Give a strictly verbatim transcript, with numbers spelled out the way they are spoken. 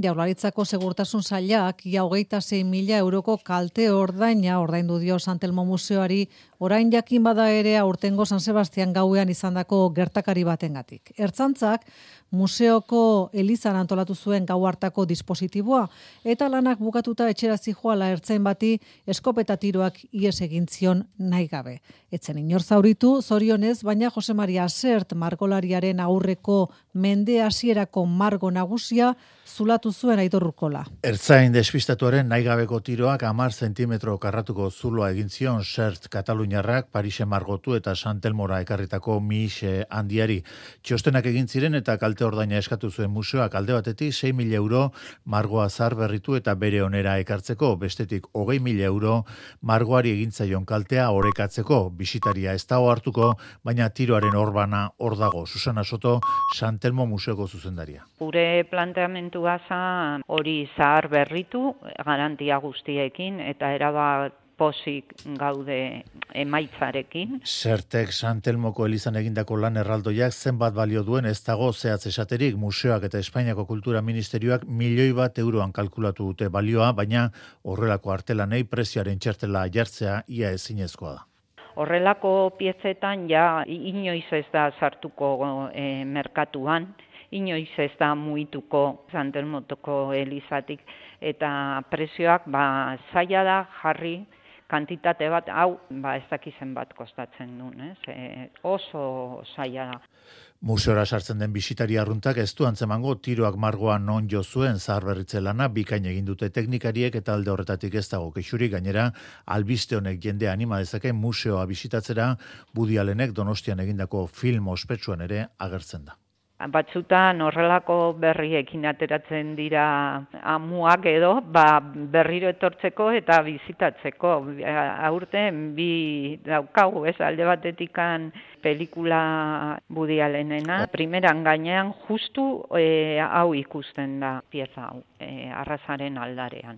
Jaurlaritzako Segurtasun Sailak ia hogeita sei mila euroko kalte ordaina ordaindu dio San Telmo Museoari, orain jakin bada ere aurtengo San Sebastian gauean izandako gertakari batengatik. Ertzaintzak museoko elizan antolatu zuen gau hartako dispositiboa eta lanak bukatuta etxera zijoala ertzain bati eskopeta tiroak ihes egin zion nahi gabe. Etzen inor zauritu, zorionez, baina Jose Maria Sert margolariaren aurreko mende hasierako margo nagusia zulatu zuen Aitor Urkola. Ertzain despistatuaren nahigabeko tiroak hamar zentimetro karratuko zuloa egin zion Sert Kataluniarrak Parisen margotu eta San Telmora ekarritako mixe handiari. Txostenak egin ziren eta kalte ordaina eskatu zuen museoak alde batetik sei mila euro margoa zar berritu eta bere onera ekartzeko, bestetik hogei mila euro margoari egintzaion kaltea orekatzeko. Bisitaria ez dago hartuko, baina tiroaren orbana hor dago. Susana Soto, San Telmo Museoko zuzendaria. Gure planteamentua zan hori zahar berritu, garantia guztiekin, eta erabat posik gaude emaitzarekin. Sertek San Telmoko elizan egindako lan erraldoiak zenbat balio duen ez dago zehatz esaterik. Museoak eta Espainiako Kultura Ministerioak milioi bat euroan kalkulatu dute balioa, baina horrelako artelanei prezioaren txertela jartzea ia ezinezkoa da. Horrelako piezetan ja inoiz ez da sartuko e, merkatuan, inoiz ez da muituko San Telmotoko elizatik, eta prezioak ba, zaila da jarri kantitate bat, hau ba, ez dakizen bat kostatzen duen, ez? E, oso zaila da. Museora sartzen den bisitari arruntak ez du antzemango tiroak margoan non jo zuen zaharberritze lana bikain egin dute teknikariek eta alde horretatik ez dago kexurik. Gainera albiste honek jendea anima dezake museoa bisitatzera, Woody Allenek Donostian egindako film ospetsuan ere agertzen da. Batzutan horrelako berriekin ateratzen dira amuak edo, ba, berriro etortzeko eta bizitatzeko. Aurten bi daukagu, ez, alde batetikan pelikula Woody Allenena. Primeran gainean justu e, hau ikusten da pieza hau, e, arrazaren aldarean.